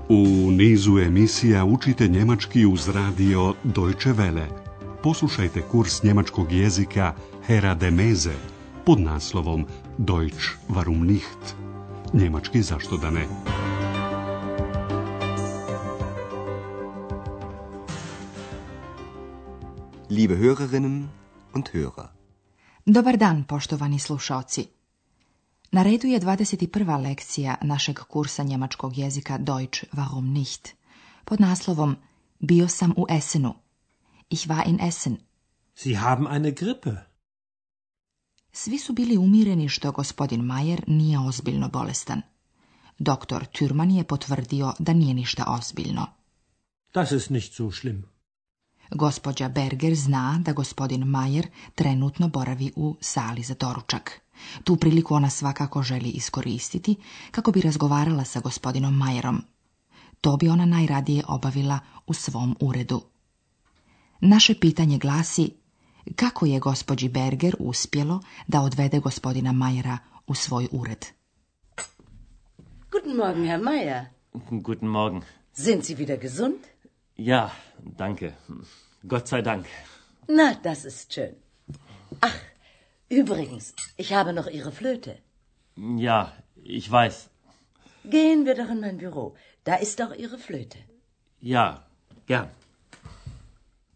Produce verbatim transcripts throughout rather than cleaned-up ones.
U nizu emisija učite njemački uz radio Deutsche Welle. Poslušajte kurs njemačkog jezika Hera de Meze pod naslovom Deutsch warum nicht? Njemački zašto da ne? Liebe Hörerinnen und Hörer. Dobar dan, poštovani slušaoci. Na redu je dvadeset prva lekcija našeg kursa njemačkog jezika Deutsch warum nicht pod naslovom Bio sam u Essenu. Ich war in Essen. Sie haben eine Grippe. Svi su bili umireni što gospodin Mayer nije ozbiljno bolestan. Doktor Thürmann je potvrdio da nije ništa ozbiljno. Das ist nicht so schlimm. Gospođa Berger zna da gospodin Mayer trenutno boravi u sali za doručak. Tu priliku ona svakako želi iskoristiti kako bi razgovarala sa gospodinom Mayerom. To bi ona najradije obavila u svom uredu. Naše pitanje glasi: kako je gospođi Berger uspjelo da odvede gospodina Mayera u svoj ured? Guten Morgen, Herr Mayer. Guten Morgen. Sind Sie wieder gesund? Ja, danke. Gott sei Dank. Na, das ist schön. Ach, übrigens, ich habe noch Ihre Flöte. Ja, ich weiß. Gehen wir doch in mein Büro. Da ist auch Ihre Flöte. Ja, gern.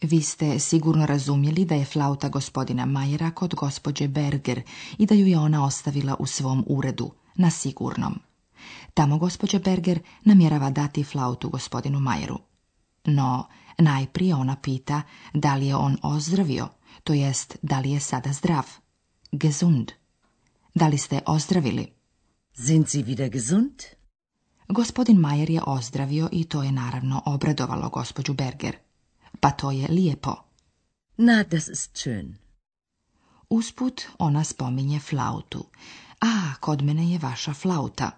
Vi ste sigurno razumjeli da je flauta gospodina Mayera kod gospođe Berger i da ju je ona ostavila u svom uredu, na sigurnom. Tamo gospođa Berger namjerava dati flautu gospodinu Mayeru. No, najprije ona pita da li je on ozdravio, to jest da li je sada zdrav. Gesund. Da li ste ozdravili? Sind Sie wieder gesund? Gospodin Mayer je ozdravio i to je naravno obradovalo gospođu Berger. Pa to je lijepo. Na, das ist schön. Usput ona spominje flautu. A, kod mene je vaša flauta.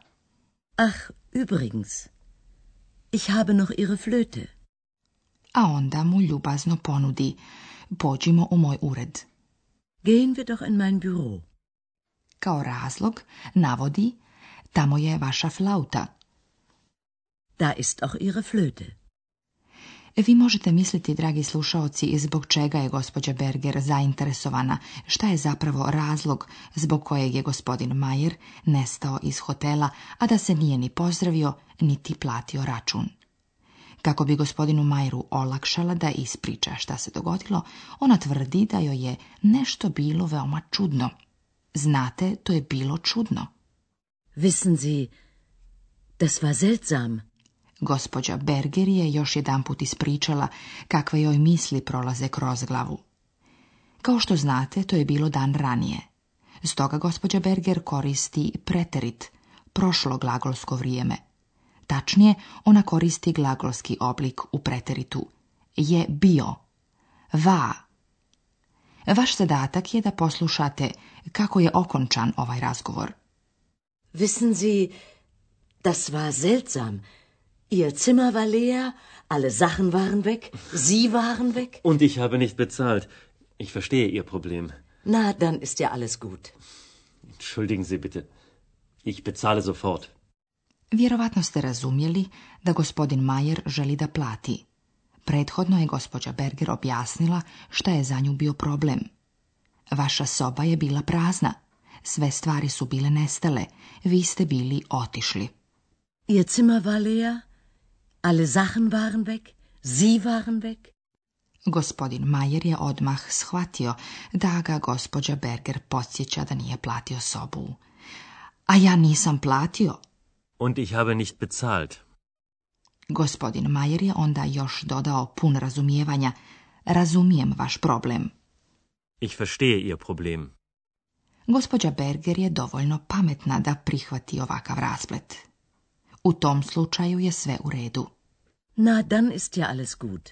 Ach, übrigens, ich habe noch Ihre Flöte. A onda mu ljubazno ponudi: pođimo u moj ured. Gehen wir doch in mein Büro. Kao razlog navodi: tamo je vaša flauta. Da ist auch Ihre Flöte. Vi možete misliti, dragi slušaoci, zbog čega je gospođa Berger zainteresovana, šta je zapravo razlog zbog kojeg je gospodin Mayer nestao iz hotela, a da se nije ni pozdravio, niti platio račun. Kako bi gospodinu Mayeru olakšala da ispriča šta se dogodilo, ona tvrdi da joj je nešto bilo veoma čudno. Znate, to je bilo čudno. Wissen Sie, das war seltsam. Gospođa Berger je još jedanput ispričala kakve joj misli prolaze kroz glavu. Kao što znate, to je bilo dan ranije. Stoga gospođa Berger koristi preterit, prošlo glagolsko vrijeme. Tačnije, ona koristi glagolski oblik u preteritu. Je bio. Va. Vaš zadatak je da poslušate kako je okončan ovaj razgovor. Wissen Sie, das war seltsam. Ihr Zimmer war leer, alle Sachen waren weg, Sie waren weg. Und ich habe nicht bezahlt. Ich verstehe Ihr Problem. Na, dann ist ja alles gut. Entschuldigen Sie bitte. Ich bezahle sofort. Vjerovatno ste razumjeli da gospodin Mayer želi da plati. Prethodno je gospođa Berger objasnila šta je za nju bio problem. Vaša soba je bila prazna. Sve stvari su bile nestale. Vi ste bili otišli. Ihr Zimmer war leer, alle Sachen waren weg, Sie waren weg. Gospodin Mayer je odmah shvatio da ga gospođa Berger podsjeća da nije platio sobu. A ja nisam platio. Und ich habe nicht bezahlt. Gospodin Mayer je onda još dodao pun razumijevanja: razumijem vaš problem. Ich verstehe Ihr Problem. Gospođa Berger je dovoljno pametna da prihvati ovakav rasplet. U tom slučaju je sve u redu. Na, dann ist ja alles gut.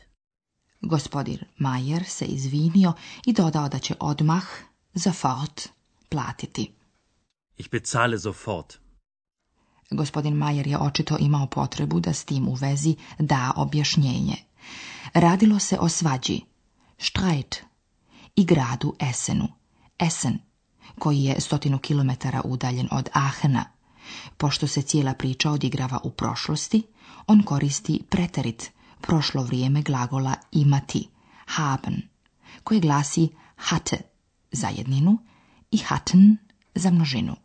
Gospodin Mayer se izvinio i dodao da će odmah, sofort, platiti. Ich bezahle sofort. Gospodin Mayer je očito imao potrebu da s tim u vezi da objašnjenje. Radilo se o svađi, Streit, i gradu Essenu, Essen, koji je stotinu kilometara udaljen od Aachena, Pošto se cijela priča odigrava u prošlosti, on koristi preterit, prošlo vrijeme glagola imati, haben, koje glasi hatte za jedninu i hatten za množinu.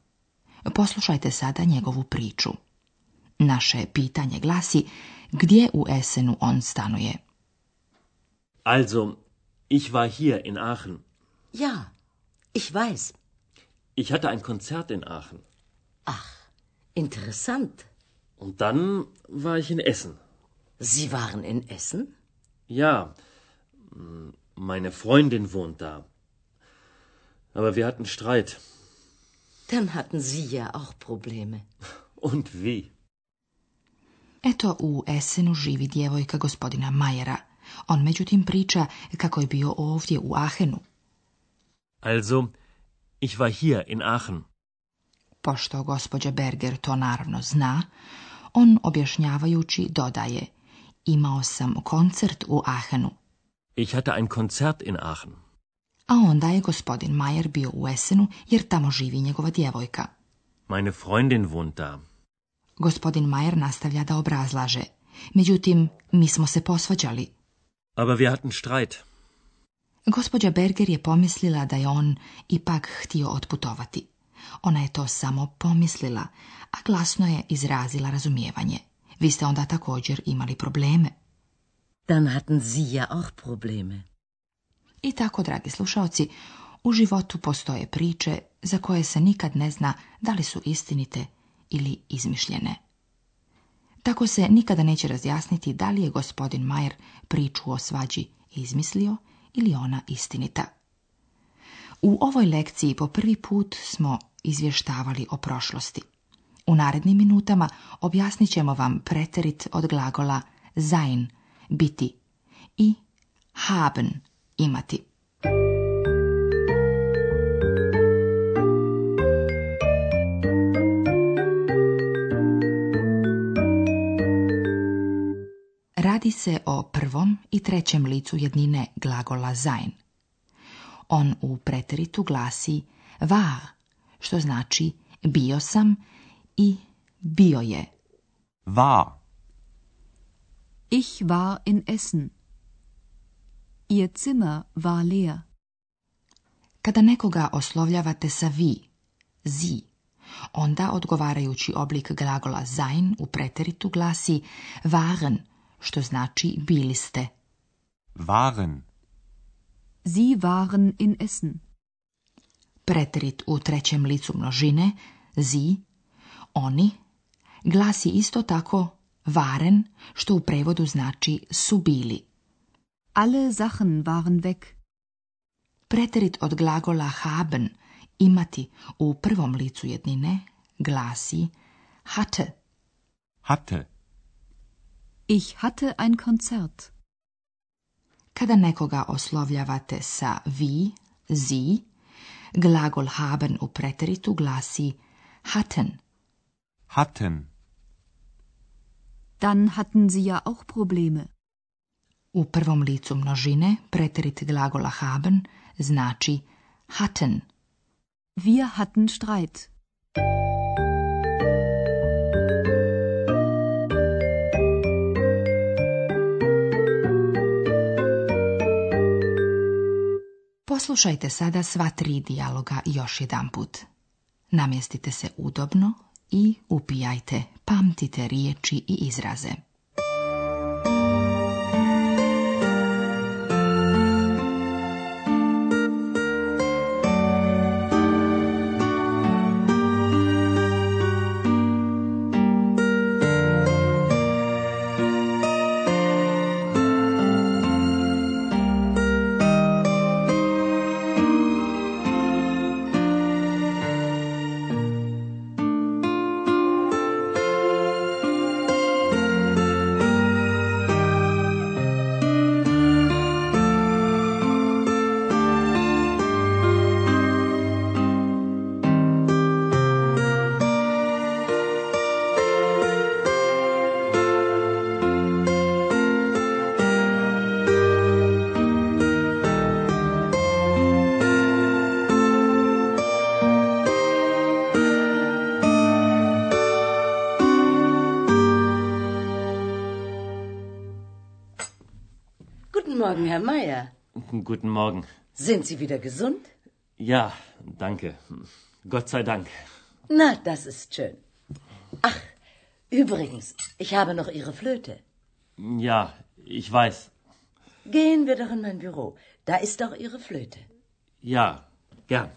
Poslušajte sada njegovu priču. Naše pitanje glasi gdje u Essenu on stanuje. Also, ich war hier in Aachen. Ja, ich weiß. Ich hatte ein Konzert in Aachen. Ach, interessant. Und dann war ich in Essen. Sie waren in Essen? Ja, meine Freundin wohnt da. Aber wir hatten Streit. Dann hatten Sie ja auch Probleme. Und wie? Eto, u Essenu živi djevojka gospodina Majera. On međutim priča kako je bio ovdje u Aachenu. Also, ich war hier in Aachen. Pošto gospođa Berger to naravno zna, on objašnjavajući dodaje: imao sam koncert u Aachenu. Ich hatte ein Konzert in Aachen. A onda je gospodin Majer bio u Essenu jer tamo živi njegova djevojka. Meine Freundin wohnt da. Gospodin Majer nastavlja da obrazlaže. Međutim, mi smo se posvađali. Aber wir hatten Streit. Gospođa Berger je pomislila da je on ipak htio otputovati. Ona je to samo pomislila, a glasno je izrazila razumijevanje. Vi ste onda također imali probleme. Dann hatten Sie ja auch Probleme. I tako, dragi slušaoci, u životu postoje priče za koje se nikad ne zna da li su istinite ili izmišljene. Tako se nikada neće razjasniti da li je gospodin Majer priču o svađi izmislio ili ona istinita. U ovoj lekciji po prvi put smo izvještavali o prošlosti. U narednim minutama objasnit ćemo vam preterit od glagola sein, biti, i haben, imati. Radi se o prvom i trećem licu jednine glagola sein. On u preteritu glasi war, što znači bio sam i bio je. War. Ich war in Essen. Ihr Zimmer war leer. Kada nekoga oslovljavate sa vi, sie, onda odgovarajući oblik glagola sein u preteritu glasi waren, što znači bili ste. Waren. Sie waren in Essen. Preterit u trećem licu množine, sie, oni, glasi isto tako waren, što u prevodu znači su bili. Alle Sachen waren weg. Preterit od glagola haben, imati, u prvom licu jednine, glasi hatte. Hatte. Ich hatte ein Konzert. Kada nekoga oslovljavate sa vi, sie, glagol haben u preteritu glasi hatten. Hatten. Dann hatten Sie ja auch Probleme. U prvom licu množine preterit glagola haben znači hatten. Wir hatten Streit. Poslušajte sada sva tri dijaloga još jedanput. Namjestite se udobno i upijajte, pamtite riječi i izraze. Morgen, Herr Meier. Guten Morgen. Sind Sie wieder gesund? Ja, danke. Gott sei Dank. Na, das ist schön. Ach, übrigens, ich habe noch Ihre Flöte. Ja, ich weiß. Gehen wir doch in mein Büro. Da ist doch Ihre Flöte. Ja, gern.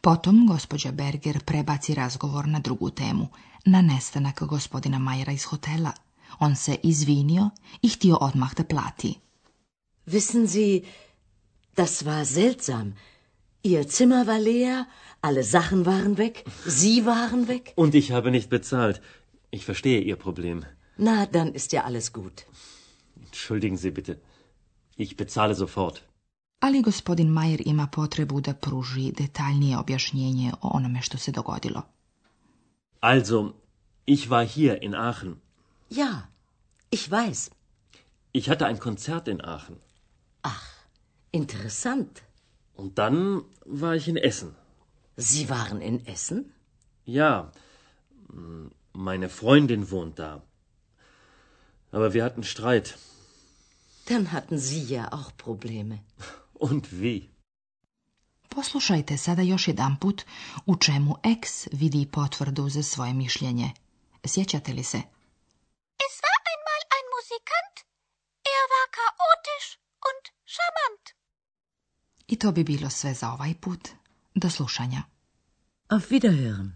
Potom gospođa Berger prebaci razgovor na drugu temu, na nestanak gospodina Majera iz hotela. On se izvinio i htio odmah da plati. Wissen Sie, das war seltsam. Ihr Zimmer war leer, alle Sachen waren weg, Sie waren weg. Und ich habe nicht bezahlt. Ich verstehe Ihr Problem. Na, dann ist ja alles gut. Entschuldigen Sie bitte. Ich bezahle sofort. Ali gospodin Majer ima potrebu da pruži detaljnije objašnjenje o onome što se dogodilo. Also, ich war hier in Aachen. Ja, ich weiß. Ich hatte ein Konzert in Aachen. Ach, interessant. Und dann war ich in Essen. Sie waren in Essen? Ja, meine Freundin wohnt da. Aber wir hatten Streit. Dann hatten Sie ja auch Probleme. Und wie? Poslušajte sada još jedan put u čemu X vidi potvrdu za svoje mišljenje. Sjećate li se? Es war einmal ein Musikant. Er war chaotisch und charmant. I to bi bilo sve za ovaj put. Do slušanja. Auf Wiederhören.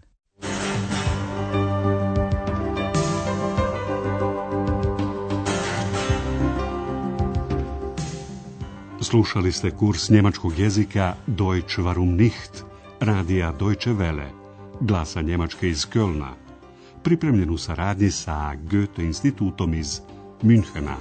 Slušali ste kurs njemačkog jezika Deutsch warum nicht, radija Deutsche Welle, glasa Njemačke iz Kölna, pripremljen u saradnji sa Goethe institutom iz Münchena.